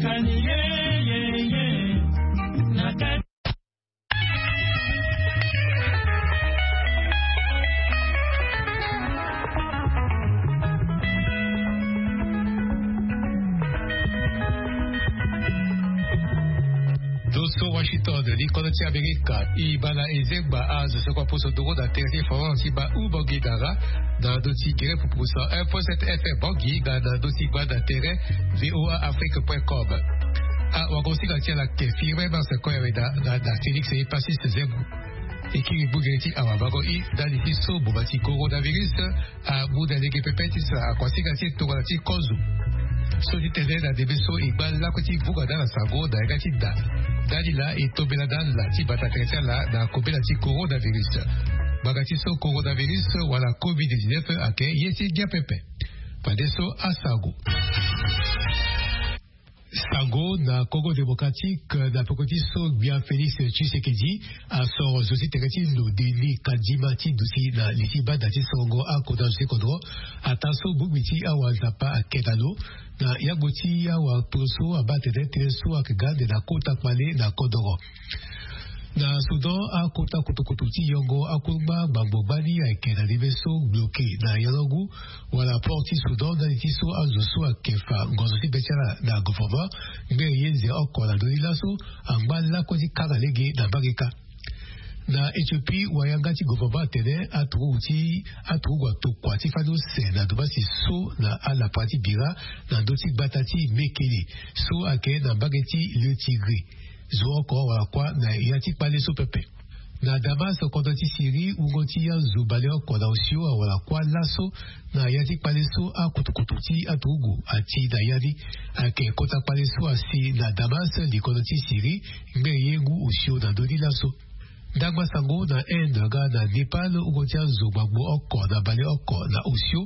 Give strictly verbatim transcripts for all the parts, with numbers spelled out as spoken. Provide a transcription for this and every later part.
Kani ye ye ye na kati. Doso Washington, li kono ti Amerika. I bana ezengba azo soko aposo ndoro na tere ti France ti ba u bangi dara na ndö ti gere pupusa un point sept F M bangi na ndö ti gba na tere V O A Afrique point com. Awagosinga ti ala ke firme marse koya weda na Félix Epasis Zembo. E kiri gbogere ti awabango i ndali ti so boma ti coronavirus amu na lege pepe ti sa akuasinga ti e tongana ti kozo. So ti tene na ndembe so e ngba lakue ti vunga na ala sango na yanga ti da. Ndali laa e tombela na ala ti bata tere ti ala na kobela ti coronavirus. Ngbanga ti so coronavirus wala covid dix-neuf ayeke ye ti ngia pepe. Fadeso asango. Sango na Congo Démocratique, na peko ti so gbia Félix Tshisekedi asoro zo ti tere ti lo Denis Kadima ti duti na li ti banda ti sorongo akota zo ti kodro. Ataa so bongbi ti awa Nzapa ayeke na lo na yagbo ti awa poro so abaa atene tënë so ayeke ga ande na kota kpale na kodoro. Na Soudan, akota kutukutu ti yongo akungba gbangbo gbani ayeke na ndembe so bloke na yango ngu wala port ti Soudan ndali ti so azo so ayeke fa ngonzo ti be ti ala na gouvernement ngbene ye nze oko na ndö ni laso angba lakue ti kanga lege na mbage kâ. Na Éthiopie, wayanga ti gouvernement atene aturugu ti aturugu atokua ti fani use na domasi so na alapa ti bira na ndö ti gbata ti Mekele so ayeke na mbage ti Le Tigre. Zo oko wala kuâ na ya ti kpale so pepe. Na Damas, kodro ti Syrie, wungo ti azo baleoko na osio awara kuâ laso na ya ti kpale so akutukutu ti aturugu ati na ya ni. Ayeke kota kpale so asi na Damas, likodro ti Syrie, ngbene ye ngu osio na ndö ni laso. Ndangba sango na Inde nga na Népal, wungo ti azo gbangbo oko na baleoko na osio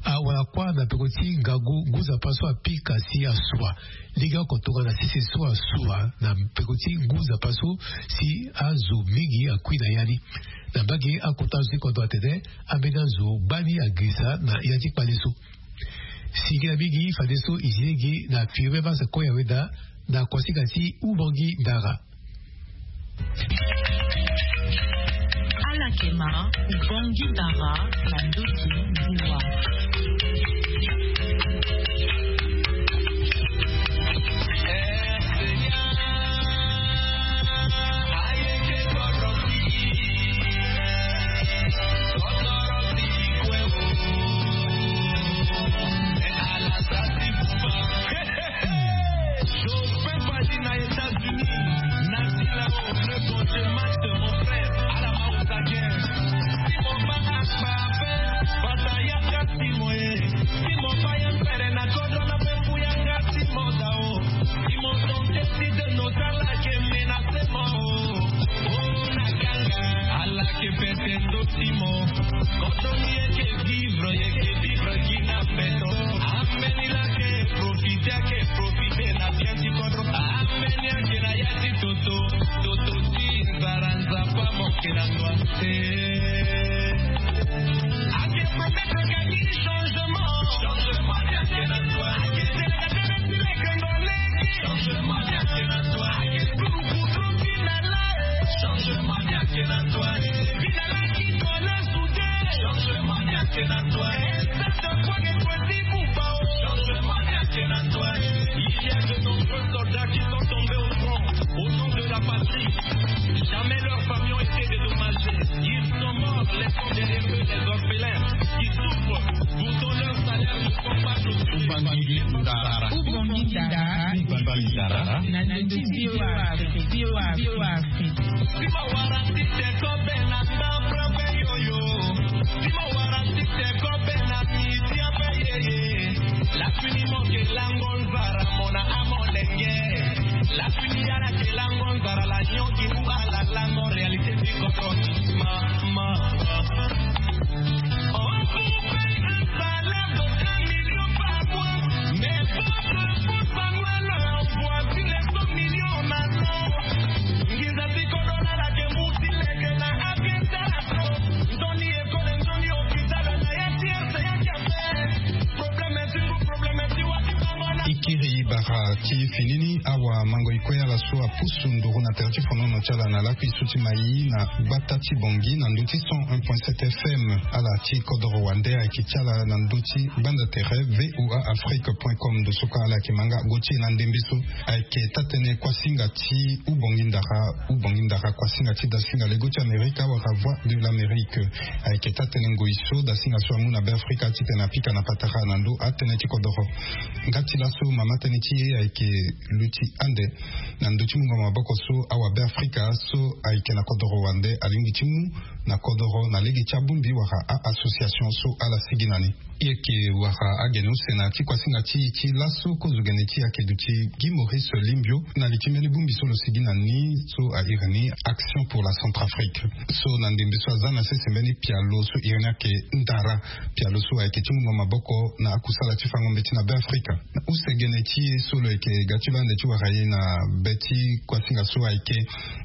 awara kuâ na peko ti ngangu ngu nzapa so apika si asua. Lege oko tongana sese so asua na peko ti ngu nzapa so si azo mingi akui na ya ni. Na mbage akota azo ti kodro atene ambeni azo gbani agirisa na ya ti kpale so. Singila mingi fadeso e zi lege na firi même ase koya weda na kuasinga ti Ubongi Ndara. Ala yeke ma Ubongi Ndara na ndö ti ngu wa. Jospin Fadi na États-Unis, Nasila, le bon Dieu Max, mon frère, ala ma osagen. Si mon ba akpa ape, bata ya ka si mo e. Si mon ba ya pere na kodro na pe fu ya ka si mo da o. Si mon tonte si de no sala ke menase mo o. O na ganga, ala ke pete ndo si mo. Kodro ni eke vivre, eke vivre ki na peto. Ambeni la ke profite, ake profite na bien ti kodro. Ambeni ake na ya ti toto, toto ti nzara nzapa mo ke na ndwa. Eh. Ake promettre ka ni changement. Changement ni ake na ndwa. Ake tene na tene ti leke ndole. Changement ni ake na ndwa. Ake kuru kuru ti na la. Changement ni ake na ndwa. Vina la ki tole. Changement ni ake na ndwa. Esa ta kwa ke kwa ti kupa o. Changement ni ake na ndwa. Il y a de nombreux soldats qui sont tombés au front, au nom de la patrie. Jamais leurs familles ont été dédommagées. Ils sont morts, laissant derrière eux des orphelins qui souffrent. Pourtant, leurs salaires ne sont pas clôturés. Ubangui Ndara. Ubangui Ndara. Na ndö ti V O A Afrique. V O A Afrique. Si mo wara ti te ko be na mba mba be yo yo. Si mo wara ti te ko be na miti ape ye ye. La fini mo ke lango nzara mo na amo lenge. La fini yara ke lango nzara la nyo ki mu ala lango réalité ti koko. Ma, ma, ma. On vous paye un salaire de un million par mois, mais votre fonds annuel envoie sur les cent millions en allant. Nginza ti kodro na ala ke mu ti leke na avion tala so. Nzoni école, nzoni hôpital, na ya ti ese ya ti ape. Problème ti ngu, problème ti wa ti bango na. Ikiri bara ti E fini ni awamango e kue ala so apusu nduru na tere ti fonono ti ala na lakui so ti mai na gbata ti Bangui na ndö ti cent un point sept F M. Ala ti kodoro wande ayeke ti ala na ndö ti gbanda tere V O A Afrique point com. Ndo so kue ala yeke ma nga go ti e na ndembe so ayeke taa-tënë kuasinga ti Ubongi Ndara. Ubongi Ndara kuasinga ti dasinga lego ti Amerika wala Voix de l'Amérique. Ayeke taa-tënë ngoi so dasinga so amu na Beafrika titene apika na patara na ndö atënë ti kodoro. Nga ti laso mama tënë ti e ayeke luti ande na ndö ti mungo maboko so awabeafrika so ayeke na kodoro wande alingbi ti mu na kodoro na lege ti abongbi wala a-association so ala sigi na ni. E yeke wara agene use na ya ti kuasinga ti e ti laso kozo gene ti e ayeke duti Guy Maurice Limbio na li ti mbeni bongbi so lo sigi na ni so a iri ni Action pour la Centrafrique. So na ndembe so aza na sese mbeni pialo so iri ni ayeke Ndara, pialo so ayeke ti mungo maboko na akusala ti fango mbeti na Beafrika. Na use gene ti e so lo yeke ga ti lo ande ti wara e na be ti kuasinga so ayeke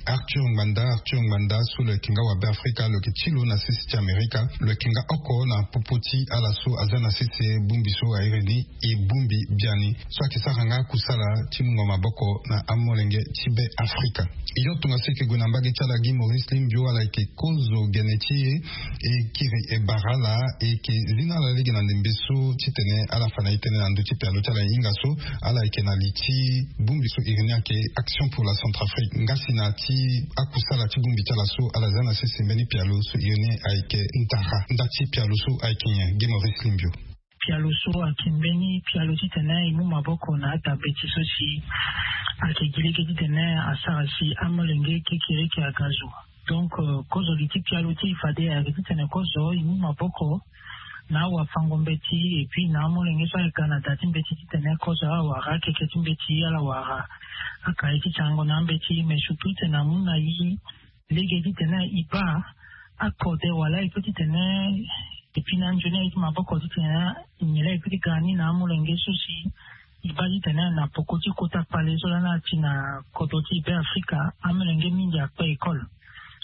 Arthur Ngbanda. Arthur Ngbanda so lo yeke nga wabeafrika, lo yeke ti lo na sese ti Amerika. Lo yeke nga oko na popo ti ala so aza na sese bongbi so a iri ni E Bongbi Biani so ayeke sara nga akusala ti mungo maboko na amolenge ti Beafrika. Yo tongaso e yeke gue na mbage ti ala Guy Maurice Limbio, ala yeke kozo gene ti e, e kiri e bara ala, e yeke zi na ala lege na ndembe so titene ala fa na e tënë na ndö ti pialo ti ala hinga so ala yeke na li ti bongbi so iri ni ayeke Action pour la Centrafrique. Nga si na ya ti akusala ti bongbi ti ala so ala za na sese mbeni pialo so iri ni ayeke Ndara. Nda ti pialo so ayeke nyen, Guy Maurice Limbio? Pialo so ayeke mbeni pialo titene e mu maboko na ata mbeti so si ayeke gi lege titene asara si amolenge kekereke aga zo. Donc, euh, kozo li ti pialo ti e fade ayeke titene kozo e mu maboko na awafango mbeti, et puis na amolenge so ayeke ga na da ti mbeti titene kozo awara akeke ti mbeti, ala wara akaye ti tiango na ambeti, mais surtout titene amu na e lege titene e baa akode wala e peut titene e pi na anzoni aye ti maboko titene e nyen laa e peut ti ga ni na amolenge so si e baa titene na poko ti kota kpale so lani ati na kodro ti Beafrika, amolenge mingi akpe école.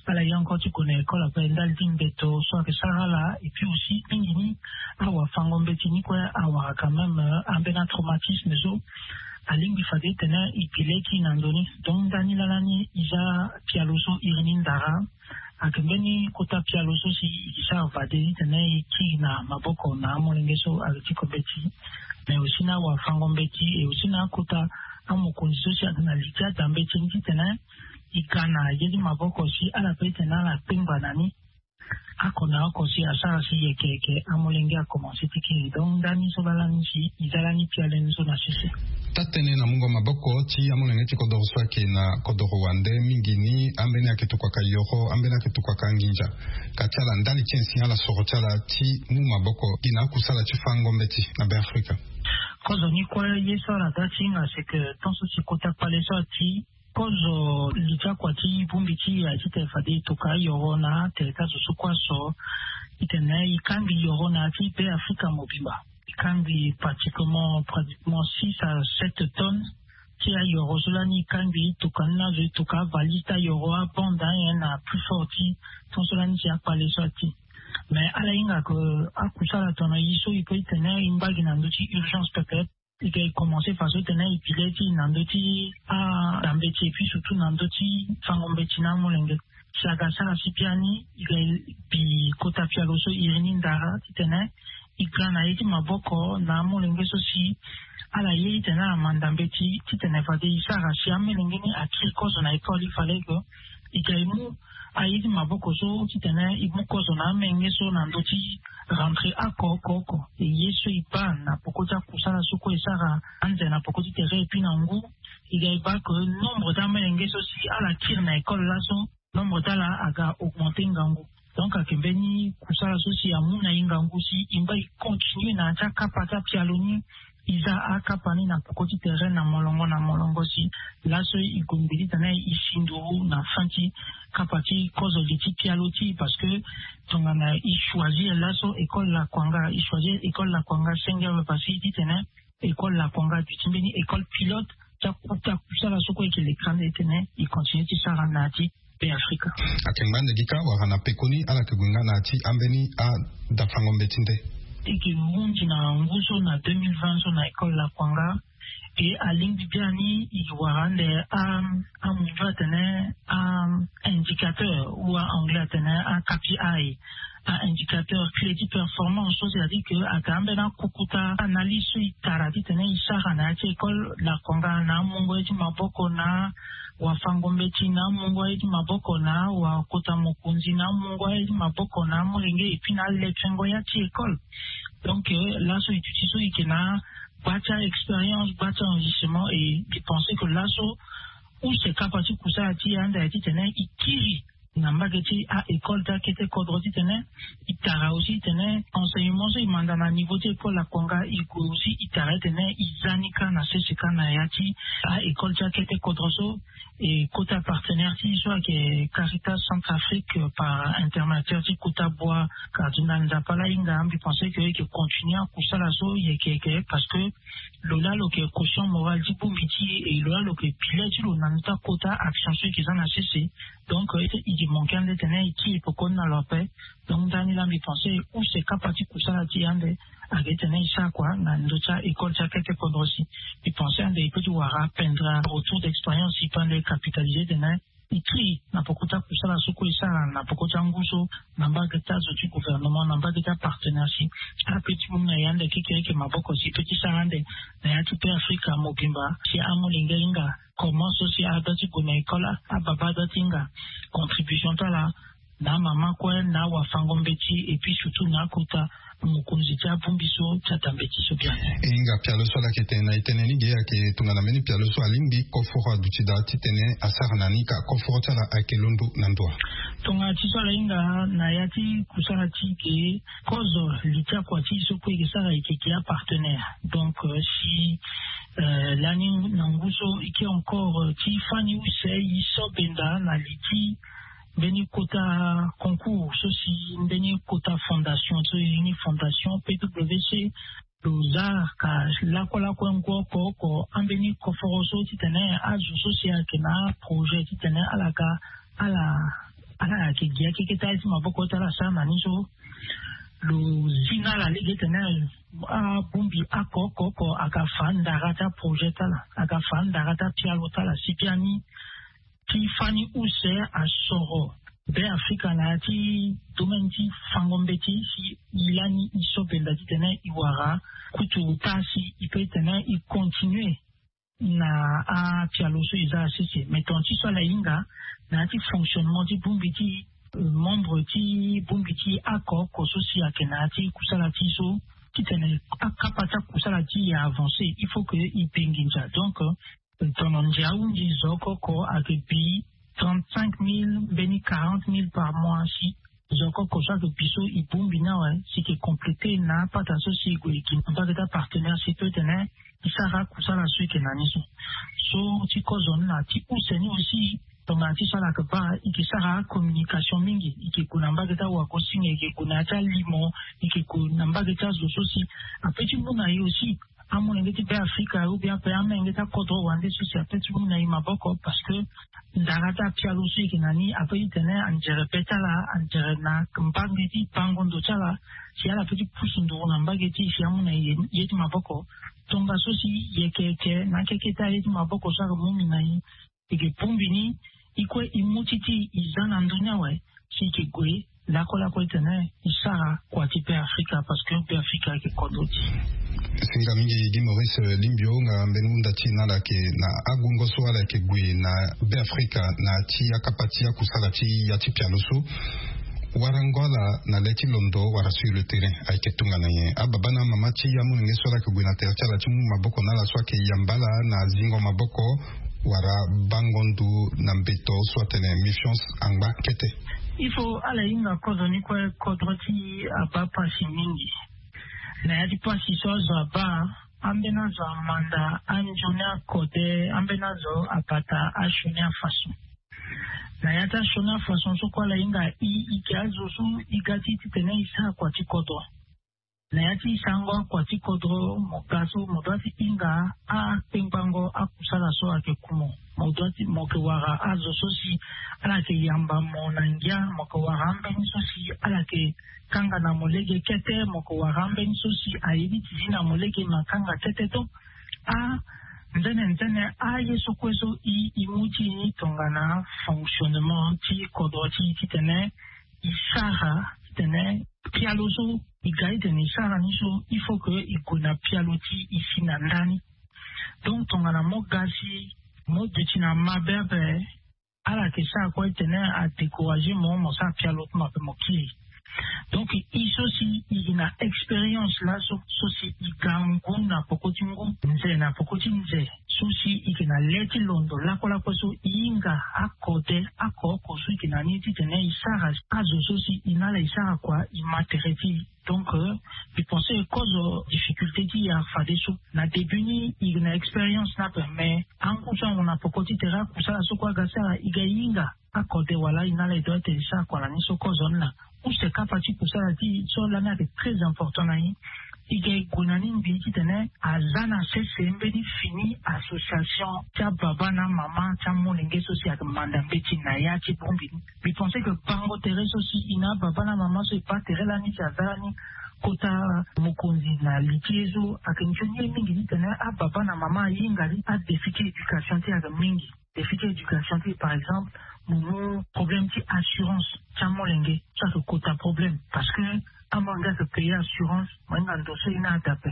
Ala ye encore ti gue na école après ndali ti mbeto so ayeke sara ala, et puis aussi mingi ni awafango mbeti ni kue awara quand même, euh, ambeni atraumatisme so alingbi fade titene e pi leki na ndo ni. Donc ndani lala ni e za pialo so iri ni Ndara. Ayeke mbeni kota pialo so si e sara fade titene e kiri na maboko na amolenge so ayeke ti ko mbeti, mais aussi na awafango mbeti, et aussi na akota amokonzi so si ayeke na li ti ada mbeti ni titene e ga na ye ti maboko si ala pe titene ala kpengba na ni. Oko na oko si asara si yeke yeke amolenge akomanse ti kiri. Donc ndani so lala ni si e za lani pialo ni so na sese. Taa-tënë na mungo maboko ti amolenge ti kodoro so ayeke na kodoro wande mingi ni, ambeni ayeke tokuaka yoro, ambeni ayeke tokuaka nginza. Ka ti ala ndali ti nyen si ala soro ti ala ti mu maboko gi na akusala ti fango mbeti na Beafrika? Kozo ni kue ye so ala ga ti hinga c'est que tant so si kota kpale so ati kozo li ti akua ti bongbi ti e aye titene fade e toka ayoro na atere ti azo so kue aso titene e kangbi yoro na ya ti Beafrika mobimba. E kangbi pratiquement, pratiquement six à sept tonnes ti ayoro so lani e kangbi, e toka ni na azo, e toka avalise ti ayoro, abande anyen na plus fort ti ton so lani si akpale so ati. Mais ala hinga ke akusala tongana e so e peut titene e ngba gi na ndö ti urgence peut-être. E ga e commencer faso titene e pi le ti e na ndö ti ada mbeti et puis surtout na ndö ti fango mbeti na amolenge. Si aga sara si biani e ga e bi kota pialo so iri ni Ndara titene e ga na ye ti maboko na amolenge so si ala ye titene ala manda mbeti titene fade e sara si amolenge ni akiri kozo na école, il fallait que e ga e mu aye ti maboko so titene e mu kozo na amolenge so na ndö ti rentrée oko oko oko. E ye so e baa na poko ti akusala so kue e sara anze na poko ti tere et puis na ngu, e ga e baa ke nombre ti amolenge so si ala kiri na école laso, nombre ti ala aga augmenter ngangu. Donc ayeke mbeni kusala so si amu na e ngangu si e ngba e continuer na ya ti akapa ti apialo ni. E za akapa ni na poko ti tere na molongo na molongo si laso e gue mbi titene e si nduru na fin ti kapa ti kozo li ti pialo ti e, parce que tongana e choisir laso école Lakwanga, e choisir école Lakwanga senge awe parce que e titene école Lakwanga duti mbeni école pilote ti akuta kusala so kue e yeke lekere ande titene e continuer ti sara na ya ti Beafrika. Ayeke ngba ande gi kâ wala na pekoni ala yeke gue nga na ya ti ambeni adafango mbeti nde? E yeke hunzi na ngu so na deux mille vingt so na école Lakwanga. Ke alingbi biani i wara ande a amundu atene a indicateur ou a anglais atene a kpi a indicateur clé ti performance so c'est-à-dire ke ake ambeni akukuta analyse so i tara titene i sara na ya ti école lakonga na amungo ye ti maboko na wafango mbeti na amungo ye ti maboko na wakota mokonzi na amungo ye ti maboko na amolenge et puis na aletengo ya ti école. Donc laso i duti so i ke na gba ti a-expérience gba ti enrichissement et i pense ke laso use kapa ti kusala ti e ande aye titene i kiri na mbage ti a-école ti akete kodro titene i tara aussi titene enseignement so i manda na niveau ti école akonga i gue aussi i tara titene i za ni kâ na sese kâ na ya ti a-école ti akete kodro so. E kota partenaire ti so ayeke Caritas Centrafrique par intermédiaire ti kota boi Cardinal Nzapa la hinga mbi pense ke yeke continuer akusala so yeke yeke parce que lo la lo yeke caution morale ti bongbi ti e lo la lo yeke pilier ti lo na ndö ti akota action so yeke za na sese. Donc i yeke manquer ande tene i kiri pekoni na lo ape. Donc ndani la mbi pense use kapa ti kusala ti e ande ayeke tene i sara kua na ndö ti a-école ti akete kodro si. Mbi pense ande i pe ti wara apendre retour d'expérience i pe ande capitaliser tene i kiri na poko ti akusala so kue i sara na poko ti angu so na mbage ti azo ti gouvernement na mbage ti apartenaire si ape ti mu na e ande kekereke maboko si i pe ti sara ande na ya ti pe afrika mobimba si amolenge ahinga comment so si adua ti gue na école ababa adua ti hinga contribution ti ala na amama kue na awafango mbeti et puis surtout na akota mokonzi ti abongbi so ti ata mbeti so biani. E hinga pialo so ala yeke tene na e tënë ni ge ayeke tongana mbeni pialo so alingbi koforo aduti daa titene asara na ni ka koforo ti ala ayeke londo na ndo wa? Tongana ti so ala hinga na ya ti kusala ti ge kozo li ti akua ti e so kue e yeke sara e yeke gi apartenaire. Donc si lani na ngu so e ke encore ti fani use e so benda na li ti mbeni kota concours so si mbeni kota fondation so e ni fondation pwc lo za ka lakue lakue ngu oko oko ambeni koforo so titene azo so si ayeke na aprojet titene ala ga ala ala yeke gi akeke ti ala ti maboko ti ala sara na ni so lo zi na ala lege tene abongbi oko oko oko aga fa ndara ti aprojet ti ala aga fa ndara ti apialo ti ala si biani ti fani use asoro Beafrika na ya ti domaine ti fango mbeti si e lani e so benda titene e wara kutu ota si e pe titene e continue na apialo so e za asese mais tonga ti so ala hinga na ya ti fonctionnement ti bongbi ti membre ti bongbi ti oko oko so si ayeke na ya ti kusala ti e so titene akapa ti akusala ti e avancer il faut que e be nginza donc tono ndia ahunzi zo oko oko ayeke bi trente-cinq mille mbeni quarante mille par mois si zo oko oko so ayeke bi so e bongbi ni awe si e yeke compléter na apata so si e gue e gi na mbage ti apartenaire si peut tene e sara akusala so e yeke na ni so. So ti kozo ni na ti use ni aussi tongana ti so ala yeke baa e yeke sara acommunication mingi e yeke gue na mbage ti awagosinga e yeke gue na ya ti alimo e yeke gue na mbage ti azo so si ape ti mu na e aussi amolenge ti Beafrika ou bien ape amenge ti akodro wande so si ape ti mu na e maboko parce que ndara ti apialo so e yeke na ni ape ti tene anzere be ti ala anzere na mbage ti bango ndo ti ala si ala ape ti pusu nduru na mbage ti e si amu na e ye ti maboko. Tongaso si e yeke yeke na akeke ti aye ti maboko so ayeke mu mbi na e e yeke bongbi ni e kue e mu ti ti e za na ndö ni awe si e yeke gue lakue lakue titene e sara kua ti Beafrika parce que Beafrika ayeke kodro ti e. Singa mingi Guy Maurice Limbio nga mbeni hunda ti e na ala yeke na agungo so ala yeke gue na Beafrika na ya ti akapa ti akusala ti ya ti pialo so warango ala na le ti londo wala sur le terrain ayeke tongana nyen? Ababa na amama ti amolenge so ala yeke gue na tere ti ala ti mu maboko na ala so ayeke yamba ala na zingo maboko wala bango ndu na mbeto so atene méfiance angba kete. Il faut ala hinga kodro ni kue kodro ti abaa pasi mingi na ya ti pasi so azo abaa ambeni azo amanda anzoni akode ambeni azo abata asioni afaso. Na ya ti asioni afaso so kue ala hinga i i gi azo so i ga ti titene i sara kua ti kodro. Na ya ti sango akua ti kodro mo ga so mo dua ti hinga akpengbango akusala so ayeke ku mo. Mo dua ti mo yeke wara azo so si ala yeke yamba mo na ngia mo yeke wara ambeni so si ala yeke kanga na mo lege kete mo yeke wara ambeni so si aye ni ti zi na mo lege ma kanga kete to. A Nzene nzene aye so kue so i i mu ti i ni tongana fonctionnement ti kodro ti i titene i sara titene pialo so i ga i tene i sara ni so il faut que i gue na pialo ti i si na ndani. Donc tongana mo ga si mo duti na mabe ape, ala yeke sara kue titene adécourage mo mo sara pialo ti mo ape mo kiri. Donc i so si i gi na expérience laso so si i ga ngu na poko ti ngu, nze na poko ti nze, so si i yeke na le ti londo lakue lakue so i hinga akode akooko so i yeke na ni titene i sara azo so si i na ala i sara kua i ma tere ti i. Donc mbi pense kozo difficulté ti i afadeso. Na début ni i yeke na expérience ni ape, mais angu so angu na poko ti tere akusala so kue aga sara i ga i hinga akode wala i na ala i doit ete i sara kua na ni so kozo ni laa. Use kapa ti kusala ti i so lani ayeke très important na i. I ga i gue na ni ngbii titene aza na sese mbeni fini association ti ababa na amama ti amolenge so si ayeke manda mbeti na ya ti bongbi ni. Mbi pense que bango tere so si i na ababa na amama so e baa tere lani si aza lani kota mokonzi na li ti ye so ayeke nzoni ye mingi titene ababa na mama ahinga li adéfi ti éducation ti e ayeke mingi. Défi ti éducation ti e par exemple, mo mu problème ti assurance ti amolenge so ayeke kota problème parce que amolenge ayeke payer assurance mo hinga ndo so e na ada ape.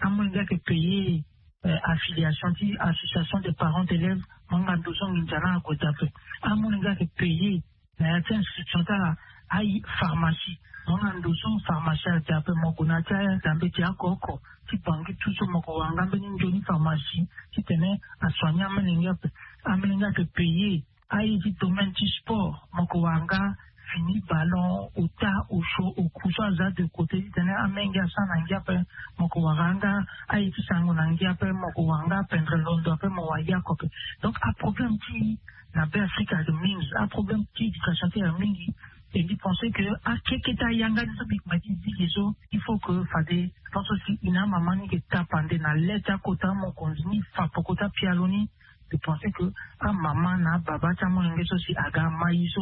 Amolenge ayeke payer affiliation ti association des parents d'élèves, mo hinga ndo so nginza na ague daa ape. Amolenge ayeke payer na ya ti instruction ti ala aye pharmacie, mo hinga ndo so pharmacie ague daa ape. Mo gue na ya ti aya daa mbeti akooko ti bangi tout so mo ko wara nga mbeni nzoni pharmacie titene asoigner amolenge ape. Amolenge ayeke payer aye ti domaine ti sport, mo ko wara nga fini ballon, ota, osho, oku so aza de côté titene amenge asara na ngia ape. Mo ko wara nga aye ti sango na ngia ape, mo ko wara nga apendre londo ape mo wara yako ape. Donc aproblème ti na be afrika ayeke mingi, aproblème ti éducation ti ayeke mingi. E mbi pense que akeketa yanga ti so mbi kuma ti zi ge so il faut que fade tant so si i na amama ni yeke tapande na le ti akota amokonzi ni fa poko ti apialo ni. Mbi pense que amama na ababa ti amolenge so si aga ama ye so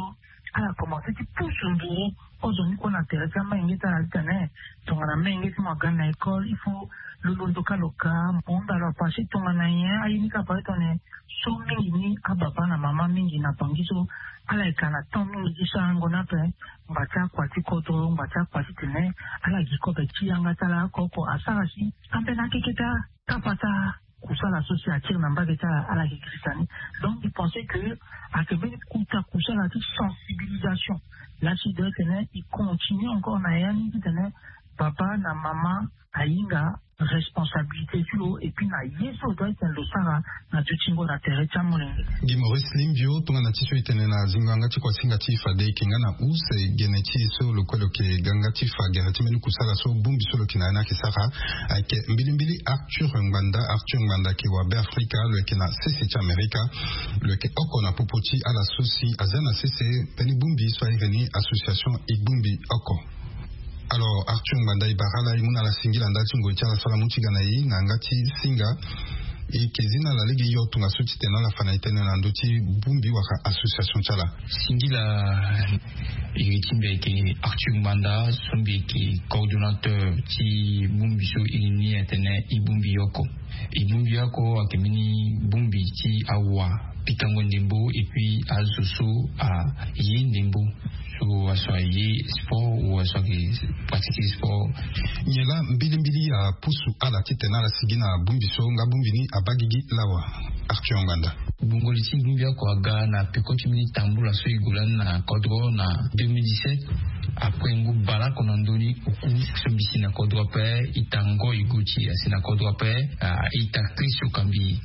ala commence ti pusu nduru ozoni kue na tere ti amenge ti ala titene tongana menge ti mo aga na école il faut lo londo ka lo ka mo hunda lo apasse tongana nyen aye ni ka baa titene so mingi ni ababa na mama mingi na bangi so ala yeke na temps mingi ti sarango ni ape. Ngba ti akua ti kodro ngba ti akua titene ala gi kobe ti yanga ti ala oko oko asara si ambeni akeketa kapa ti akusala so si akiri na mbage ti ala ala yeke girisa ni. Donc mbi pense que ayeke mbeni kuta kusala ti sensibilisation lasi doit tene e continue encore na ya ni titene baba na mama ahinga responsabilité ti lo et puis na ye so doit tene lo sara na dutingo na tere ti amolenge. Gi maurice limbio tongana ti so e tene na zingo yanga ti kuasinga ti e fade e yeke nga na use gene ti e so lo kue lo yeke ga nga ti fa gere ti mbeni kusala so bongbi so lo yeke na ya ni ayeke sara. Ayeke mbilimbili arthur ngbanda arthur ngbanda ayeke wa be afrika lo yeke na sese ti amerika. Lo yeke oko na popo ti ala so si aza na sese mbeni bongbi so airi ni association e bongbi oko. Alors arthur ngbanda e bara ala e mu na ala singila ndali ti ngoi ti ala so ala mu ti ga na e na yanga ti singa. E yeke zi na ala lege yo tongaso titene ala fa na e tënë na ndö ti bongbi wala association ti ala. Singila. Iri ti mbi ayeke arthur ngbanda so mbi yeke coordonnateur ti bongbi so iri ni atene e bongbi oko. E bongbi oko ayeke mbeni bongbi ti awa pikango ndembo et puis azo so aye ndembo so aso aye sport ou aso ayeke pratike sport. Nyen laa mbilimbili apusu ala titene ala sigi na bongbi so nga bongbi ni abaa gigi lawa? Arthur ngbanda. Gbongoli ti bongbi oko aga na peko ti mbeni tambula so e gue lani na kodro na deux mille dix-sept. Après ngu baleoko na ndö ni oku so mbi si na kodro ape. Ita ngoi guti asi na kodro ape. Ita chris okambi.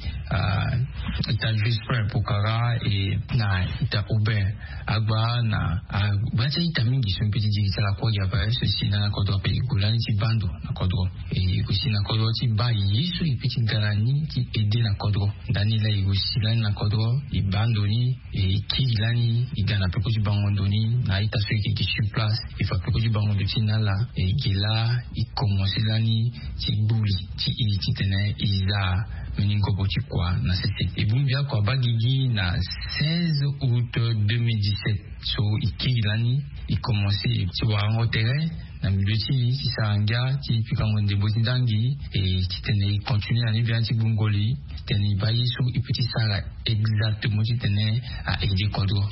Ita juste pokara e na ita aubin agba na agba ti a-ita mingi so mbi pe ti diri ti ala kue gi ape so e si lani na kodro ape e gue lani ti baa ndo na kodro. E gue si na kodro ti baa ye so e pe ti ga na ni ti aide na kodro. Ndani laa e gue si lani na kodro e baa ndo ni e kiri lani e ga na peko ti bango ndo ni na a-ita so e yeke gi sur place. E fa peko ti bango ndo ti na ala e gi laa e komanse lani ti gbuli ti e titene e za mbeni ngobo ti kua na sese. E bongbi oko abaa gigi na seize août deux mille dix-sept so e kiri lani e komanse ti warango tere. na milieu ti e ti sara ngia ti pikango ndembo ti ndangi. E titene e continue na ni bia ti gbungo li titene e baa ye so e pe ti sara exactement titene a aide kodro.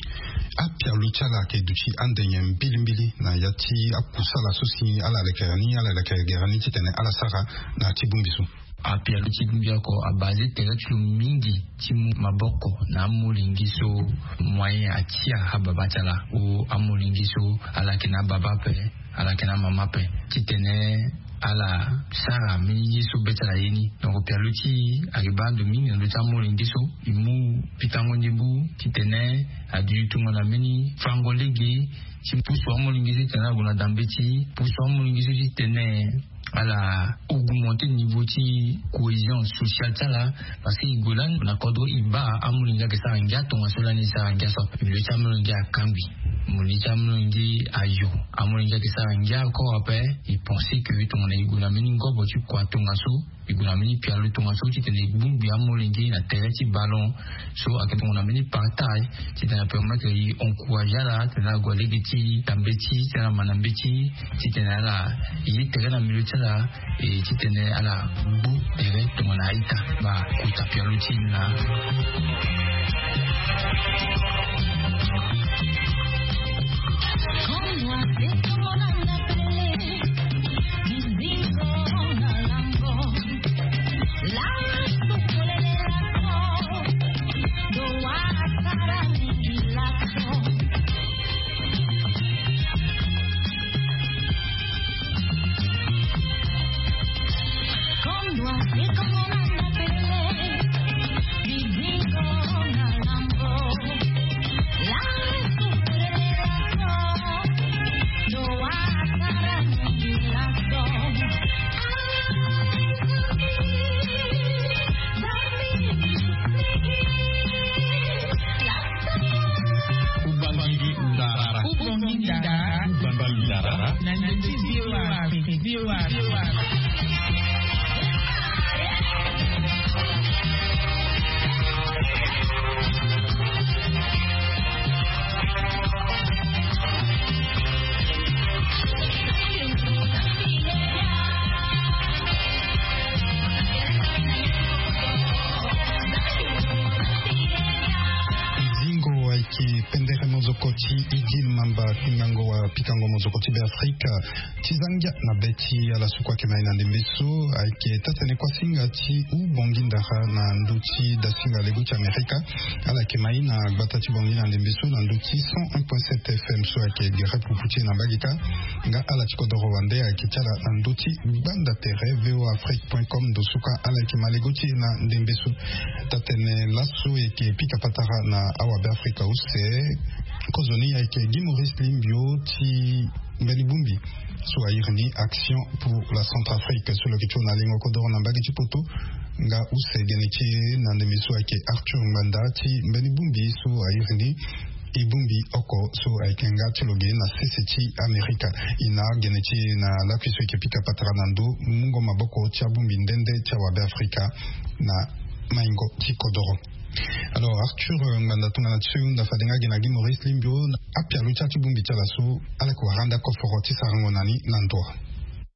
Apialo ti ala ayeke duti ande nyen mbilimbili na ya ti akusala so si ala lekere ni ala lekere gere ni titene ala sara na ti bongbi so? Apialo ti bongbi oko abase tere ti lo mingi ti mu maboko na amolenge so moyen atia ababa ti ala o amolenge so ala yeke na ababa ape, ala yeke na amama ape, titene ala sara mbeni ye so be ti ala ye ni. Donc pialo ti e ayeke baa ndo mingi na ndö ti amolenge so e mu pikango ndembo titene aduti tongana mbeni fango lege ti pusu amolenge so titene ala gue na dambe ti e, pusu amolenge so titene ala augmenter niveau ti cohésion sociale ti ala. Parce que e gue lani na kodro e baa amolenge ayeke sara ngia tongaso lani e sara ngia so ape. Milieu ti amolenge akangbi, milieu ti amolenge ayo, amolenge ayeke sara ngia oko ape. E pense que tongana e gue na mbeni ngobo ti kua tongaso e gue na mbeni pialo tongaso titene e bongbi amolenge na tere ti ballon so ayeke tongana mbeni partage titene apermettre e encourager ala titene ala gue lege ti dambe ti e titene ala ma na mbeti titene ala ye tere na milieu ti ala. E titene ala gbu tere tongana a-ita. Bakota pialo ti e na Kubangidi ndara. Kubangidi ndara. Kubangidi ndara. Na ndö ti V O A Afrique. V O A Afrique. Zingo ayeke pendere mozoko ti Idil Mamba, kungango wa pikango mozoko ti Beafrika. Ti za ngia na be ti ala so kue ayeke mai na ndembe so ayeke taa-tene kuâ singa ti u bongi ndara na ndö ti dasinga lego ti Amerika. Ala yeke mai na gbata ti bongi na ndembe so na ndö ti cent un point sept F M so ayeke gere pupu ti e na mbage kâ. Nga ala ti kodoro wande ayeke ti ala na ndö ti gbanda tere V O A Afrique point com ndo so kâ ala yeke ma lego ti e na ndembe so. Taa-tene laso e yeke pika patara na awabe Afrika use. Kozoni ayeke Guy Maurice Limbio ti mbeni bongbi so a iri ni Action pour la Centrafrique so lo yeke ti hon na lingo kodoro na mbage ti poto. Nga use gene ti e na ndembe so ayeke Arthur Ngbanda ti mbeni bongbi so a iri ni e bongbi oko so ayeke nga ti lo ge na sese ti Amerika. E na gene ti e na lakui so e yeke pika patara na ndo mungo maboko ti abongbi nde nde ti awabe Afrika na maingo ti kodoro. Alors Arthur, euh, Ngbanda, tongana ti so e hunda fade nga gi na Guy Maurice Limbio, apialo ti ala ti bongbi ti ala so ala yeke wara ande akoforo ti sarango na ni na ndo.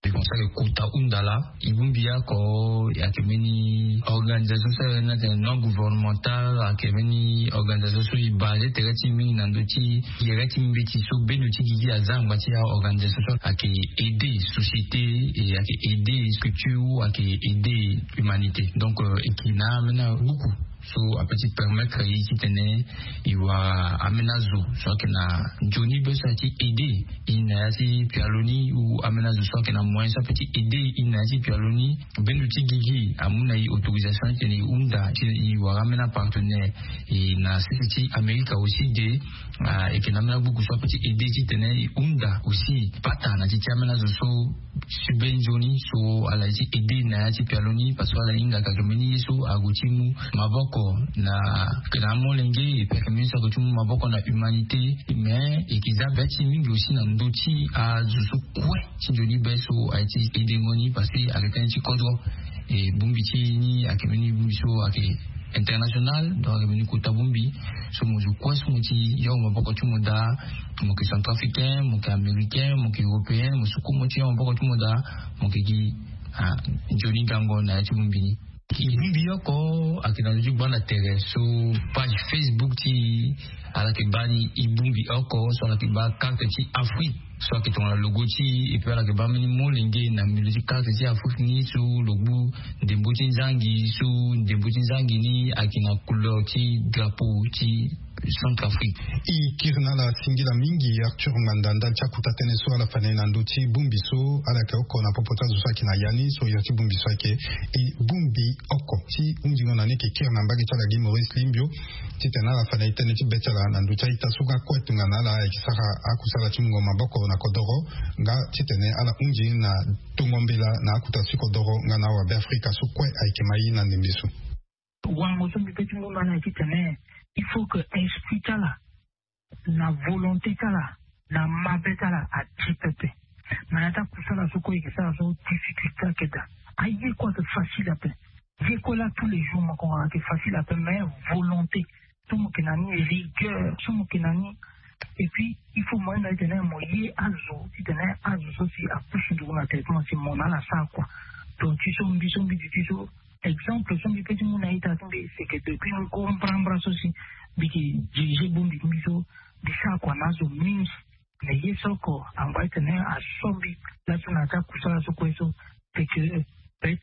E kota hunda laa e bongbi oko ayeke mbeni organisation so ayeke non gouvernemental, ayeke mbeni organisation so e base tere ti e mingi na ndö ti gere ti mbeti so bendo ti gigi aza angba ti aorganisation so ayeke aider société, e ayeke aider structure, ayeke aider humanité. Donc euh, e yeke na ambeni abuku so ape ti permettre e titene e wara ambeni azo so ayeke na nzoni be so aye ti aider e na ya ti pialo ni, ou ambeni azo so ayeke na moyen so ape ti aider e na ya ti pialo ni. Bendo ti gigi amu na e autorisation titene e hunda titene e wara ambeni apartenaire. E na sese ti Amerika aussi de, ah, e yeke na ambeni abuku so ape ti aider titene e hunda aussi pata na ti ti ambeni azo so si be nzoni so ala ye ti aider na ya ti pialo ni, parce que ala hingaka ayeke mbeni ye so ague ti mu maboko na, ayeke na amolenge, e pe ayeke mbeni so ague ti mu maboko na humanité. Mais e yeke za be ti e mingi aussi na ndö ti azo so kue ti nzoni be so aye ti aidengo ni, parce que ayeke tënë ti kodro. E bongbi ti e ni ayeke mbeni bongbi so ayeke international. Donc ayeke mbeni kota bongbi so mo zo kue so mo ti yongo maboko ti mo daa. Mo yeke centrafricain, mo yeke américain, mo yeke européen, mo so kue mo ti yongo maboko ti mo daa, mo yeke gi nzoni gango na ya ti bongbi ni. E bongbi oko ayeke na ndö ti gbanda tere so page Facebook ti e ala yeke baa ni e bongbi oko so ala yeke baa carte ti Afrique so ayeke tongana logo ti e. Epui ala yeke baa mbeni molenge na milieu ti carte ti Afrique ni so lo gbu ndembo ti nzangi so ndembo ti nzangi ni ayeke na couleur ti drapeau ti Centrafrique. E kiri na ala singila mingi Arthur Ngbanda ndali ti akuta tënë so ala fa na e na ndö ti bongbi so ala yeke oko na popo ti azo so ayeke na ya ni so iri ti bongbi so ayeke e bongbi oko ti hunzingo na ni. E yeke kiri na mbage ti ala gi Maurice Limbio titene ala fa na e tënë ti be ti ala na ndö ti a-ita so nga kue tongana ala ayeke sara akusala ti mungo maboko na kodoro nga titene ala hunzi na tongo mbela na akuta ti kodoro nga na awabe Afrika so kue ayeke mai na ndembe so. Wango so mbi pe ti mu na ala titene il faut que esprit ti ala na volonté ti ala na mabe ti ala ati pepe. Na ya ti akusala so kue e yeke sara so difficulté ayeke daa. Aye kue ayeke facile ape. Ye kue la tous les jours mo yeke hon ayeke facile ape mais volonté so mo yeke na ni, rigueur so mo yeke na ni. Et puis il faut mo hinga titene mo ye azo titene azo so si apusu nduku na traitement si mo na ala sara kua. Donc ti so mbi so mbi duti so exemple so mbi pe ti mu na ita ti mbi c'est que depuis ngu mbrambra so si mbi yeke dirige bongbi ti mbi so mbi sara kua na azo mingi. Mais ye so oko angba titene aso mbi laso na ya ti akusala so kue so c'est que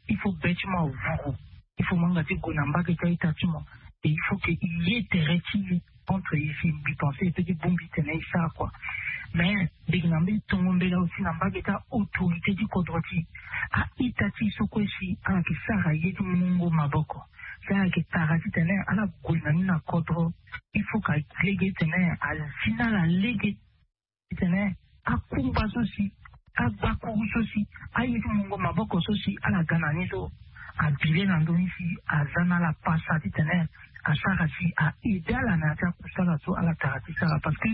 il faut be ti mo avuru. Il faut mo hinga ti gue na mbage ti a-ita ti mo. Et il faut que e ye tere ti e entre e si mbi pense e pe ti bongbi titene e sara kua. Mais mbi yeke na mbeni tongo mbela aussi na mbage ti autorité ti kodro ti e. A-ita ti e so kue si ala yeke sara ye ti mungo maboko si ala yeke tara titene ala gue na ni na kodro. Il faut ka lege titene azi na ala lege titene akungba so si agbakuru so si aye ti mungo maboko so si ala ga na ni so abile na ndö ni si aza na ala pasa titene asara si a aide ala na ya ti akusala so ala tara ti sara parce que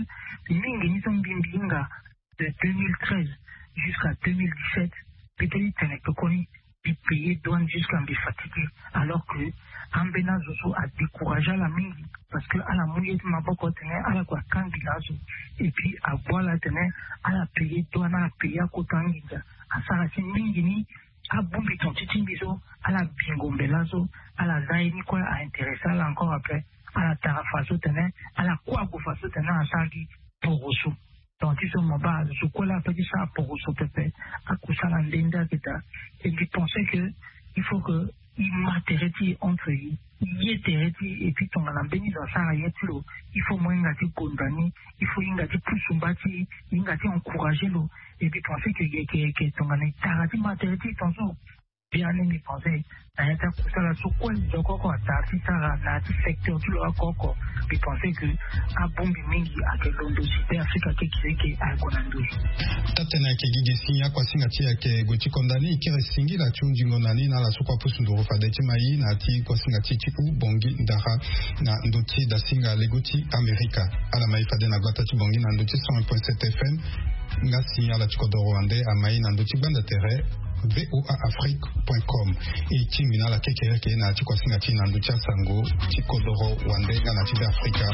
mingi ni so mbi mbi hinga de deux mille treize jusqu'à deux mille dix-sept. Peut-être tene kpekoni mbi payer douane jusqu'à mbi fatigué. Alors que ambeni azo so adécourage ala mingi parce que ala mu ye ti maboko tene ala kue akangi na azo. Et puis agbu ala tene ala payer douane ala payer akota nginza asara ti mingi ni abongbi ton ti ti mbi so ala bingo mbela so ala za ye ni kue a intéressé ala encore après ala tara faso tene ala kue ague faso tene asara gi poroso. Donc ti so mo baa zo kue la ape ti sara poroso pepe. Akusala nde nde ayeke daa. Et mbi pense que il faut que e ma tere ti e entre e e ye tere ti e et puis tongana mbeni zo asara ye ti lo il faut mo hinga ti gonda ni. Il faut e hinga ti pusu mba ti e e hinga ti encourager lo. Et mbi pense que yeke yeke tongana e tara ti ma tere ti e tongaso. Biani mbi pense na ya ti akusala so kue nzoko oko atara ti sara na ya ti secteur ti lo oko oko. Mbi pense que abongbi mingi ayeke londo si pe afrika kekireke ayeke na ndö. Taa-tënë ayeke gi ge si akuasinga ti e ayeke gue ti konda ni e kiri singila ti hunzingo na ni na ala so kue apusu nduru fade ti mai na ya ti kuasinga ti e ti u bongi ndara na ndö ti dasinga lego ti amerika. Ala mai fade na gbata ti bongi na ndö ti cent un point sept F M. Nga si ala ti kodoro wande amai na ndö ti gbanda tere V O A Afrique point com. E tingbi na ala kekereke na ya ti kuasinga ti e na ndö ti asango ti kodoro wande nga na ti be afrika.